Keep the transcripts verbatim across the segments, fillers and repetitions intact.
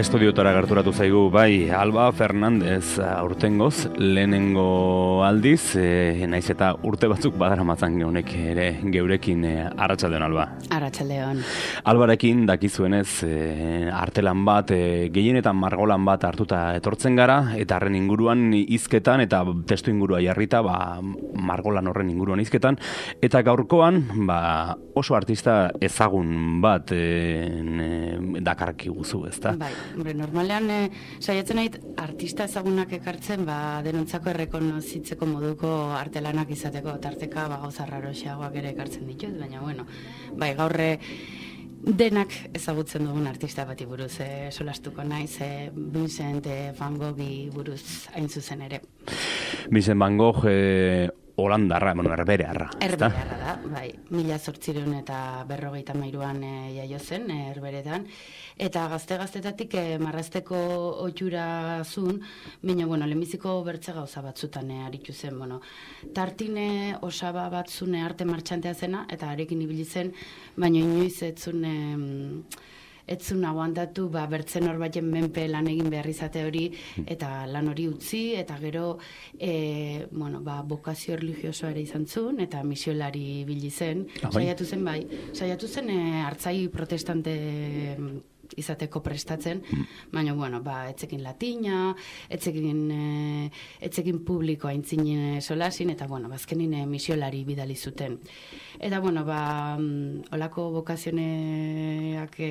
Estudiotara gerturatu zaigu, bai, Alba Fernandez aurtengoz, lehenengo aldiz, e, naiz eta urte batzuk badaramatzan honek ere geurekin e, arratsaldeon Alba. Arratsaldeon. Albarekin dakizuenez e, artelan bat, e, gehienetan margolan bat hartuta etortzen gara, eta harren inguruan hizketan eta testu ingurua jarrita, ba, margolan horren inguruan hizketan, eta gaurkoan, ba, oso artista ezagun bat e, dakarki guzu, ezta? Bai. Hombre, normalean eh, saiatzen nait artista ezagunak ekartzen, ba, denontzako errekonozitzeko moduko artelanak izateko, tarteka ba, gauza raroxeagoak ere ekartzen ditut, baina bueno, bai, gaurre denak ezagutzen dugun artista bati buruz eh, solastuko naiz, eh, Vincent eh, van Goghi buruz hain zuzen ere. Vincent van Gogh eh, holandarra, bueno, erberearra. Erberearra da, bai. Mila zortzireun eta berrogeita mairuan e, jaio zen, e, erberetan. Eta gazte-gaztetatik e, marrazteko ohitura zuen, baina, bueno, lehenbiziko bertze gauza batzutan e, aritu zen, bueno. Tartine osaba bat zune arte martxantea zena, eta arekin ibili zen, baina inoiz ez zuen... E, ez zuen aguantatu, ba, bertzen hor baten menpe lan egin behar izate hori, eta lan hori utzi, eta gero, e, bueno, ba, bokazio religiosoa ere izan zuen, eta misiolari bili zen, saiatu zen, bai, saiatu zen, e, hartzai protestante izateko prestatzen, baina, bueno, ba, etzekin latina, etzekin, e, etzekin publiko aintzin solasin, eta, bueno, bazkenin e, misiolari bidali zuten. Eta, bueno, ba, olako bokazioneak e,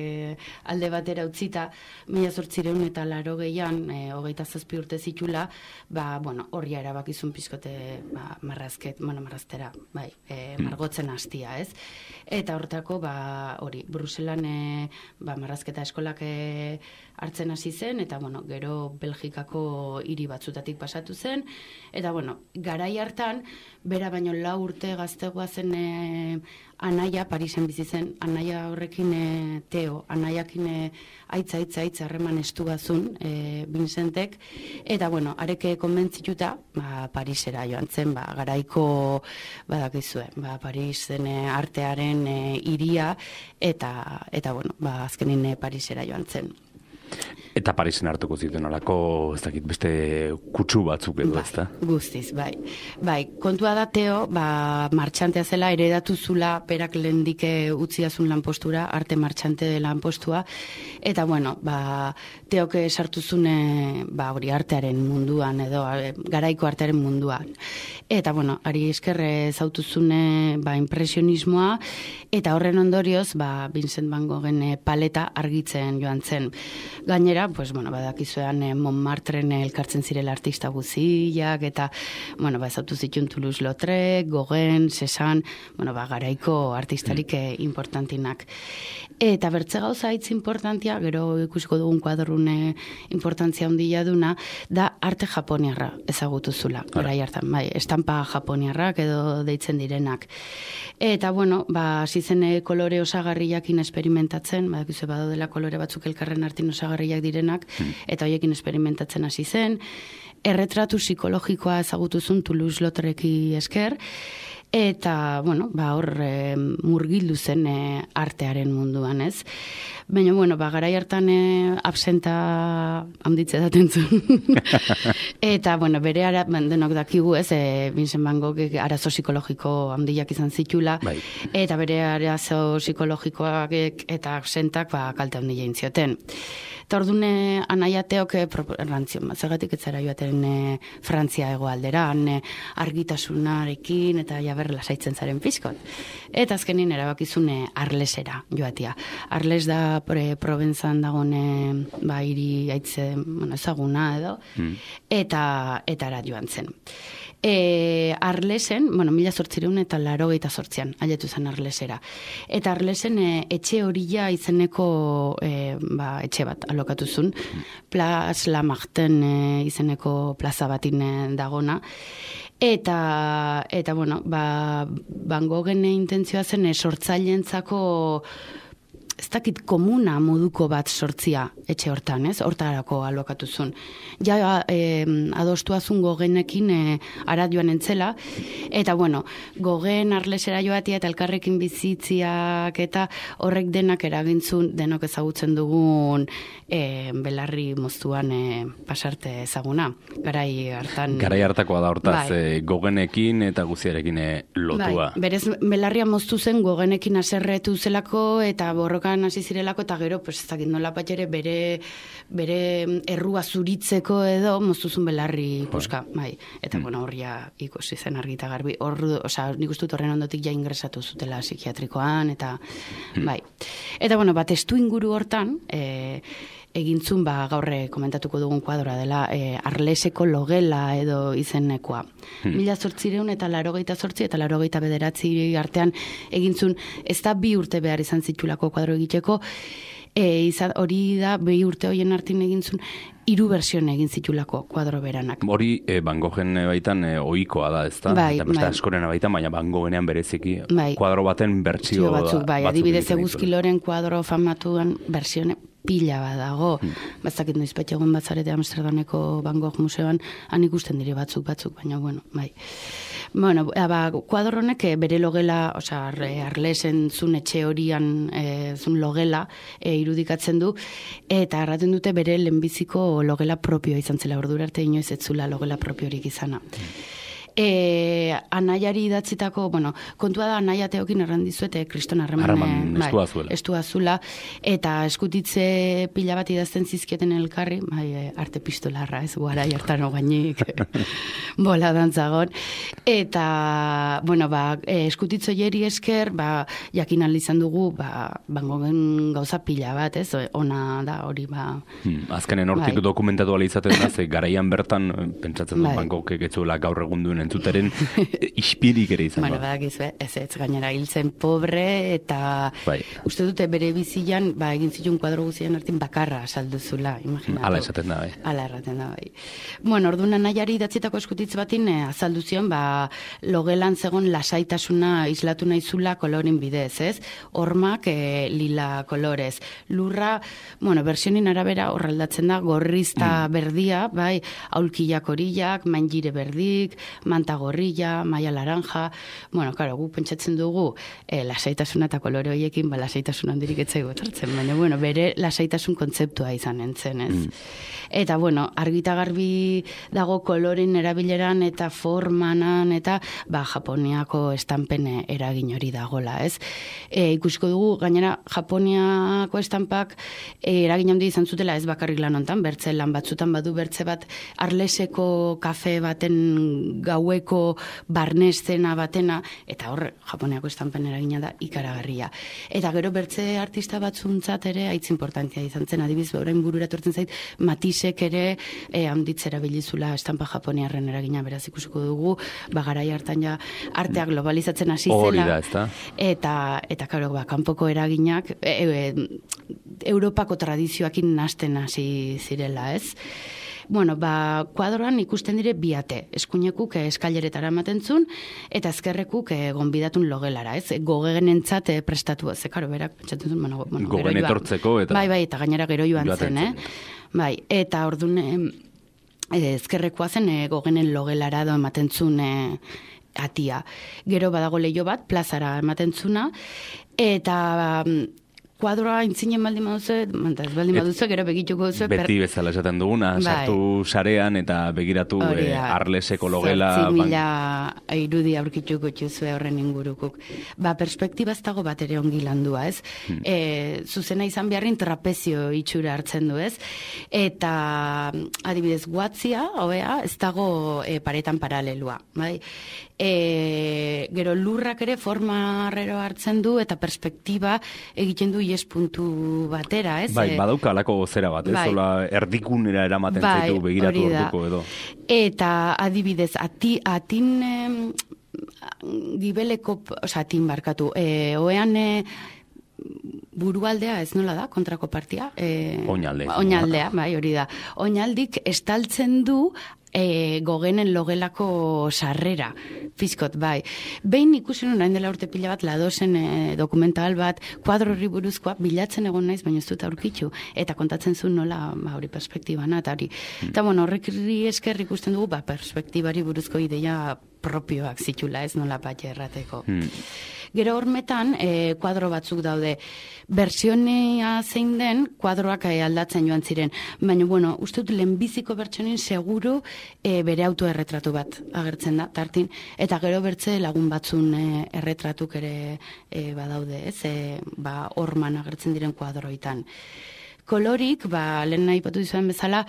alde batera utzita, mila zortzireun eta laro gehian, e, hogeita zazpi urte zitula, ba, bueno, horria erabakizun pizkote, ba, marrazket, bueno, marraztera, bai, e, margotzen hastia, ez? Eta hortako, ba, hori, Bruselan, e, ba, marrazketa eskolak e, hartzen hasi zen, eta, bueno, gero Belgikako hiri batzutatik pasatu zen, eta, bueno, garai hartan, bera baino lau urte gaztegoa zen e, anaia, Parisen bizi zen, anaia horrekin e, Teo, anaiakin e, aitza, aitza, aitza, harreman estugazun, e, Vincentek, eta, bueno, areke konbentzituta, ba, Parisera joan zen, ba, garaiko, badakizue, ba, Parisen e, artearen e, iria, eta, eta, bueno, ba, azkenin e, Parisera joan zen. Eta Parisen hartuko zituen alako, ez dakit, beste kutsu batzuk edo, bai, ezta? Guztiz, bai. Bai, kontua da Teo, ba, martxantea zela, eredatu zula, perak lehendike utziazun lanpostura, arte martxante lanpostua, eta, bueno, ba, Teoke sartu zune, ba, hori artearen munduan, edo, garaiko artearen munduan. Eta, bueno, ari eskerre zautuzune, ba, impresionismoa, eta horren ondorioz, ba, Vincent van Goghen paleta argitzen joan zen. Gainera, pues, bueno, badakizuean eh, Montmartren elkartzen zirela artista guziak, eta, bueno, ba, ezautu zituen Toulouse-Lautrec, Gauguin, Cézanne, bueno, ba, garaiko artistarik eh, importantinak. Eta bertze gauza hitz importantia, gero ikusiko dugun kuadrune importantzia handia duna, da arte japoniarra ezagutu zula, garai hartan, bai, estampa japoniarrak edo deitzen direnak. Eta, bueno, ba, hasi zen kolore osagarriakin experimentatzen, badakizu badaudela kolore batzuk elkarren artin osagarriak direnak, eta hoiekin experimentatzen hasi zen. Erretratu psikologikoa ezagutuzun Toulouse-Lautrecki esker, eta, bueno, ba, hor e, murgildu zen e, artearen munduan, ez? Baina, bueno, ba, garai hartan e, absenta handitze daten zuen. Eta, bueno, bere ara, denok dakigu, ez, e, Vincent van Gogh arazo psikologiko handiak izan zitula, bai. Eta bere arazo psikologikoak eta absentak, ba, kalte handia intzioten. Eta ordune anaia Teok errantzio, zergatik ez zara joaten e, Frantzia hegoaldera, e, argitasunarekin eta jaber lasaitzen zaren pizkot. Eta azkenin erabakizune Arlesera joatia. Arles da pre, Provenzan dagoen e, ba, hiri aitze, bueno, ezaguna edo, mm. eta eta ara joan zen. E, Arlesen, bueno, mila zortzireun eta laurogeita zortzian, ailetu zen Arlesera. Eta Arlesen e, etxe horila izeneko e, ba, etxe bat alokatu zuen, Place Lamartine e, izeneko plaza batin e, dagona. Eta, eta bueno, ba, Van Goghen intentzioa zen e, sortzaileentzako ez dakit komuna moduko bat sortzia etxe hortan, ez? Hortarako alokatuzun. Ja e, adostuazun gogenekin e, ara joan entzela, eta bueno, gogen arlesera joatia eta elkarrekin bizitziak eta horrek denak eragintzun, denok ezagutzen dugun e, belarri moztuan e, pasarte ezaguna. Garai hartan... Garai hartakoa da hortaz, bai. e, gogenekin eta guziarekin e, lotua. Bai, berez belarria moztu zen gogenekin aserretu zelako eta borrokan hasi zirelako eta gero, pues ez dakit nola bat ere bere, bere errua zuritzeko edo moztuzun belarri puska, bai. Eta mm. bueno, horria ikusi zen argita garbi. Hor, osea, nik uste dut horren ondotik ja ingresatu zutela psikiatrikoan eta mm. bai. Eta bueno, bat estu inguru hortan, e, egintzun ba gaurre komentatuko dugun kuadroa dela e, Arleseko logela edo izenekoa. Hmm. Mila zortzireun eta larogeita zortzi eta larogeita bederatzi artean egintzun, ez da bi urte behar izan zitulako kuadro egiteko, e, izan, hori da bi urte hoien artin egintzun, hiru bersioen egin zitulako kuadro beranak. Hori e, Van Goghen baitan e, ohikoa da, ezta? Bai, eta beste bai. askoren baitan, baina Van Gogenean bereziki bai. kuadro baten bertsio batzuk, bai, batzuk adibidez egiten Eguzki Loren kuadro famatuan bersione pila bat dago. Hmm. Bazakit noiz egun batzarete Amsterdameko Van Gogh museoan, han ikusten dire batzuk batzuk, baina bueno, bai. Bueno, ba, kuadro honek bere logela, osea, Arlesen zun etxe horian e, zun logela e, irudikatzen du, eta erraten dute bere lehenbiziko logela propioa izan zela, ordura arte inoiz ez zula logela propiorik izana. Hmm. E, anaiari idatzitako, bueno, kontua da anaia teokin errandizuete kriston harreman bai, estua zuela. Estua zula, eta eskutitze pila bat idazten zizkieten elkarri, bai, arte pistolarra, ez guara jartan ogainik, bola dantzagon, eta, bueno, ba, eskutitzo jeri esker, ba, jakin izan dugu, ba, bangoen gauza pila bat, ez, ona da, hori, ba... Hmm, azkenen hortik bai. Dokumentatu ala izaten da, ze garaian bertan, pentsatzen dut, bai. Bangokek etzuela gaur egun duen entzuteren ispirik ere izan. Bueno, badakizue, ez ez gainera hiltzen pobre eta bai. Uste dute bere bizian, ba, egin zituen kuadro guzien artin bakarra salduzula, imaginatu. Ala esaten da, bai. Ala erraten da, bai. Bueno, orduan anaiari idatzitako eskutitz batin, eh, azaldu zion, ba, logelan zegon lasaitasuna islatu naizula kolorin bidez, ez? Hormak eh, lila kolorez. Lurra, bueno, versionin arabera horraldatzen da, gorrizta mm. berdia, bai, aulkiak horillak, maingire berdik, manta gorrilla, maia laranja, bueno, karo, gu pentsatzen dugu e, lasaitasuna eta kolore horiekin, ba, lasaitasun handirik etzaigu etortzen, baina, bueno, bere lasaitasun kontzeptua izan entzen, ez? Mm. Eta, bueno, argita garbi dago kolorin erabileran eta formanan eta, ba, Japoniako estampen eragin hori dagola, ez? E, ikusiko dugu, gainera, Japoniako estampak e, eragin handi izan zutela, ez bakarrik lan hontan, bertze lan batzutan badu bertze bat Arleseko kafe baten gaueko barnezena batena, eta hor, Japoniako estampen eragina da ikaragarria. Eta gero bertze artista batzuntzat ere, haitz importantia izan zen, adibiz, orain burura tortzen zait, Matisek ere e, handitzera bilizula estampa japoniarren eragina, beraz ikusiko dugu, bagarai hartan ja arteak globalizatzen hasi zela. Hori da, ezta? Eta, eta karo, ba, kanpoko eraginak, e, e, Europako tradizioakin nasten hasi zirela, ez? Bueno, ba, kuadroan ikusten dire biate, eskuinekuk eskaileretara ematen zun, eta ezkerrekuk gonbidatun logelara, ez? Gogenentzat prestatu, ze karo, berak, pentsatzen zuen, bueno, bueno, gogen etortzeko, eta... Bai, bai, eta gainera gero joan zen, eh? Bai, eta orduan, eh, ezkerrekoa zen, eh, gogenen logelara do ematen zun, eh, atia. Gero badago leio bat, plazara ematen zuna, eta... kuadroa intzinen baldin baduzu, ez baldin baduzu, gero begituko duzu. Beti per... bezala esaten duguna, bai. Sartu sarean eta begiratu e, Arleseko logela. Zortzi mila ban... irudi aurkituko txuzue horren ingurukuk. Ba, perspektiba ez dago bat ere ongi landua, ez? Hmm. E, zuzena izan beharrin trapezio itxura hartzen du, ez? Eta, adibidez, guatzia, hobea, ez dago e, paretan paralelua, bai? E, gero lurrak ere forma arrero hartzen du eta perspektiba egiten du ies puntu batera, ez? Bai, badauka alako gozera bat, ez? Bai. Zola erdikunera eramaten bai, zaitu begiratu orduko edo. Eta adibidez, ati, atin eh, gibeleko, oza, atin barkatu, eh, oean eh, burualdea, ez nola da, kontrako partia? Eh, Oinalde. Oinaldea, bai, hori da. Oinaldik estaltzen du e, gogenen logelako sarrera, pizkot, bai. Behin ikusi nuen hain dela urte pila bat, ladozen e, dokumental bat, kuadro horri buruzkoa, bilatzen egon naiz, baina ez dut aurkitzu, eta kontatzen zuen nola, ba, hori perspektibana, eta hori. Mm. Eta, bueno, horrekri esker ikusten dugu, ba, perspektibari buruzko ideia propioak zitula, ez nola bat errateko. Mm. Gero hormetan, e, kuadro batzuk daude. Bertsionea zein den, kuadroak e, aldatzen joan ziren. Baina, bueno, uste dut lehenbiziko bertsionin seguru e, bere autoerretratu bat agertzen da, tartin. Eta gero bertze lagun batzun e, erretratuk ere e, badaude, ez? E, ba, horman agertzen diren kuadroitan. Kolorik, ba, lehen nahi patu dizuen bezala,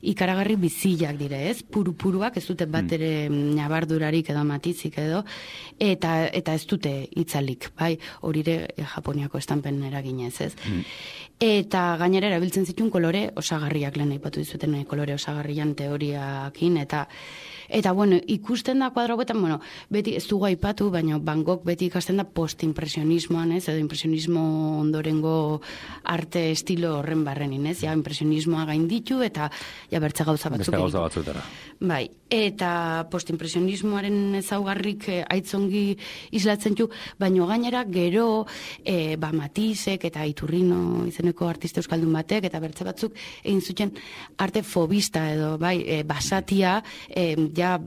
ikaragarri bizilak dire, ez? Puru-puruak, ez dute bat ere nabardurarik edo matizik edo, eta eta ez dute itzalik, bai? Horire Japoniako estampen eraginez, ez? Mm. Eta gainera erabiltzen zituen kolore osagarriak, lehen nahi patu dizuten kolore osagarrian teoriakin, eta Eta, bueno, ikusten da kuadro betan, bueno, beti ez dugu aipatu, baina Van Gogh beti ikasten da postimpresionismoan, ez, edo impresionismo ondorengo arte estilo horren barrenin, ez, ja, impresionismoa gainditu, eta ja bertze gauza batzuk. Beste gauza batzutara. Bai, eta postimpresionismoaren ezaugarrik eh, aitzongi islatzen du, baina gainera gero eh, ba, Matisek eta Iturrino izeneko artista euskaldun batek, eta bertze batzuk egin zuten arte fobista edo, bai, eh, basatia, eh, ja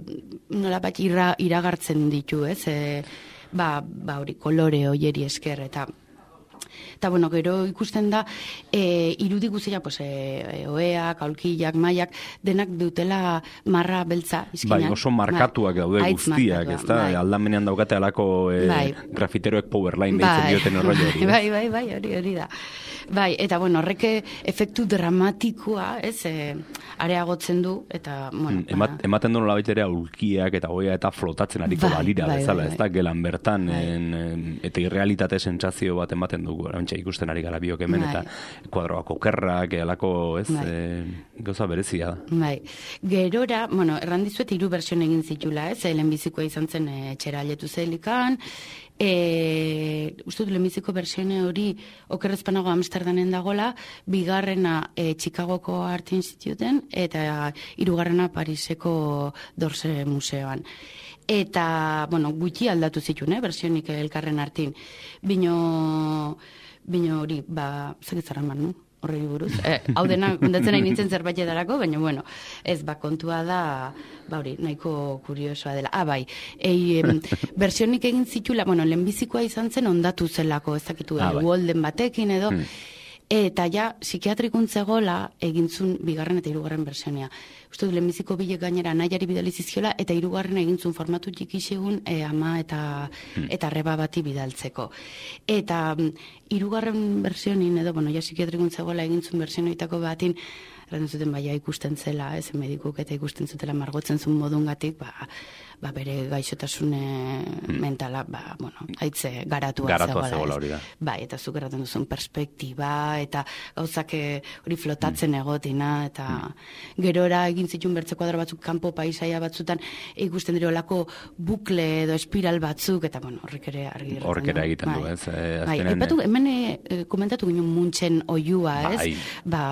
nola bat ira, iragartzen ditu, ez? E, ba, ba hori, kolore hoieri esker, eta eta bueno, gero ikusten da e, irudi guztia, pues, e, oeak, aulkilak, maiak, denak dutela marra beltza izkinan. Bai, oso markatuak ba, daude guztiak, ez da? Bai. Aldamenean daukate alako e, bai. grafiteroek powerline bai. deitzen dioten horroi hori. Bai, bai, bai, hori hori da. Bai, eta bueno, horrek efektu dramatikoa, ez, e, areagotzen du, eta, bueno... Emat, ematen du nolabait ere aulkiak eta oea eta flotatzen ariko bai, balira bai, bezala, bai, bai. ez da, gelan bertan, bai. en, en, eta irrealitate sentsazio bat ematen dugu, erantxe ikusten ari gara biok hemen, bai. eta kuadroak okerrak, elako, ez, bai. e, gauza berezia da. Bai, gerora, bueno, errandizuet hiru bersion egin zitula, ez, lehenbizikoa izan zen e, txera aletu zelikan, E, uste du lehenbiziko versione hori okerrezpanago Amsterdamen dagola, bigarrena e, Chicagoko Art Instituten eta hirugarrena Pariseko Dorse Museoan. Eta, bueno, gutxi aldatu zituen, eh, versionik elkarren artin. Bino, bino hori, ba, zekitzara man, no? Horri buruz. Eh, hau dena, kontatzen nahi nintzen zerbait edarako, baina, bueno, ez, ba, kontua da, ba, hori, nahiko kuriosoa dela. Ah, bai, ei, em, versionik egin zitula, bueno, lehenbizikoa izan zen ondatu zelako, ez dakitu, ah, bai. Walden batekin edo, hmm. eta ja, psikiatrikuntze gola egintzun bigarren eta hirugarren versionia. Uste du, lehenbiziko bilek gainera nahiari bidali zizkiola, eta hirugarren egintzun formatu txikisegun e, ama eta, hmm. eta reba bati bidaltzeko. Eta hirugarren versionin edo, bueno, ja psikiatrikuntze gola egintzun versionoitako batin, errandu zuten baia ikusten zela, ez, medikuk eta ikusten zutela margotzen zuen modungatik, ba, ba bere gaixotasune hmm. mentala, ba, bueno, haitze garatua, garatua zegoela, zegoela hori da. Bai, eta zuk erraten duzun perspektiba, eta gauzak hori flotatzen hmm. egotina, eta hmm. gerora egin zituen bertze kuadro batzuk kanpo paisaia batzutan ikusten dira olako bukle edo espiral batzuk, eta bueno, horrek ere argi horrek ere egiten bai. du, ez? Eh, bai, epatu, hemen e, komentatu ginen Munchen oiua, ez? Bai, ba,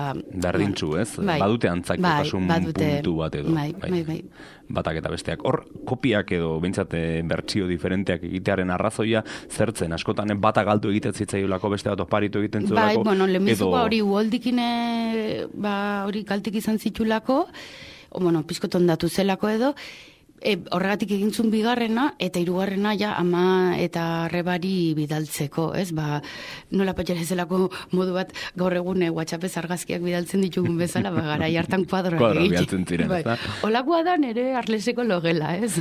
berdintzu, ez? Bai, badute antzakotasun bai, puntu bat edo. Bai, bai, bai. Batak eta besteak. Hor, kopiak edo behintzat bertsio diferenteak egitearen arrazoia zertzen, askotan bata galdu egiten zitzaiolako, beste bat oparitu egiten zuelako. Bai, bueno, lehenbizuko hori uoldikine, ba, hori kaltik izan zitulako, o, bueno, pizkoton datu zelako edo, e, horregatik egintzun bigarrena, eta hirugarrena ja ama eta rebari bidaltzeko, ez? Ba, nola patxera zelako modu bat gaur egun e, WhatsAppez argazkiak bidaltzen ditugun bezala, ba, gara hartan kuadroak Kuadro bidaltzen ziren, bai. ez da? Olakoa da nere arleseko logela, ez?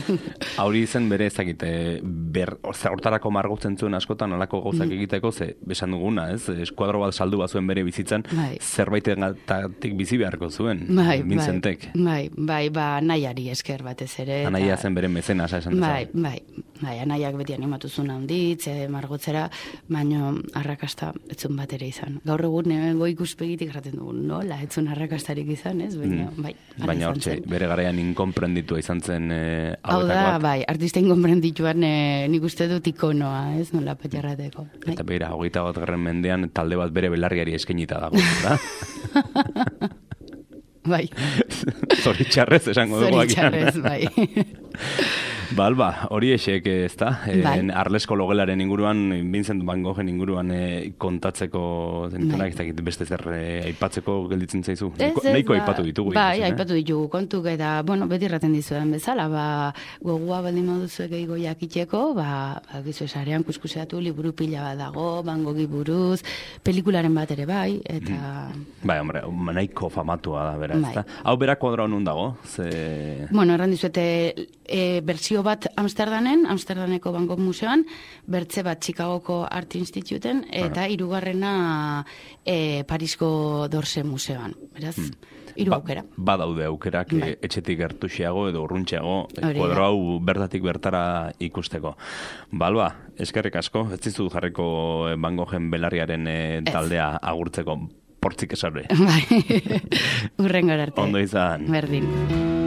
Hauri izen bere ezakite, ber, hortarako margotzen zuen askotan, olako gauzak mm. egiteko, ze, besan duguna, ez? Eskuadro bat saldu bazuen bere bizitzan, bai. zerbaitegatik bizi beharko zuen, bai, Vincentek. Bai, bai, ba, nahiari esker batez ere. Anaia zen bere mezenasa esan bai, bai, bai, anaiak beti animatu zuen handitz, e, margotzera, baino arrakasta etzun bat ere izan. Gaur egun go ikuspegitik erraten dugu, nola, etzun arrakastarik izan, ez? Baina, mm. bai, baina hortxe, bere garaian inkonprenditua izan zen e, hau da, bai, artista inkonprendituan e, nik uste dut ikonoa, ez? Nola patxarrateko. Bai. Eta bera, hogeita bat garren mendean, talde bat bere belarriari eskenita dago, da? Bai. Zoritxarrez, esango dugu. Zoritxarrez, bai. Ba, alba, hori esek ez da. Bai. En, Arlesko logelaren inguruan, Vincent van Goghen inguruan e, kontatzeko zenitunak, ez dakit beste zer e, aipatzeko gelditzen zaizu. Nahiko, nahiko aipatu ditugu. Bai, ikusten, aipatu ditugu kontuk, eta, bueno, beti erraten dizuen bezala, ba, gogua baldin moduzu gehiago jakiteko, ba, ba gizu esarean kuskuseatu, liburu pila bat dago, Van Goghi buruz, pelikularen bat ere bai, eta... Bai, hombre, nahiko famatua da, beraz, bai. ezta? Hau berak kuadroa nun dago? Ze... Bueno, erran dizuete, e, bertsio bat Amsterdamen, Amsterdaneko Van Gogh Museoan, bertze bat Chicagoko Art Instituten, eta hirugarrena e, Parisko Dorse Museoan. Beraz, hiru ba, aukera. Badaude aukerak bai. e, etxetik gertuxiago edo urruntxeago Hori kuadro hau bertatik bertara ikusteko. Balba, eskerrik asko, ez dizut jarriko Van Goghen belarriaren e, taldea agurtzeko portzik esarbe. Bai, urren arte. Ondo izan. Berdin.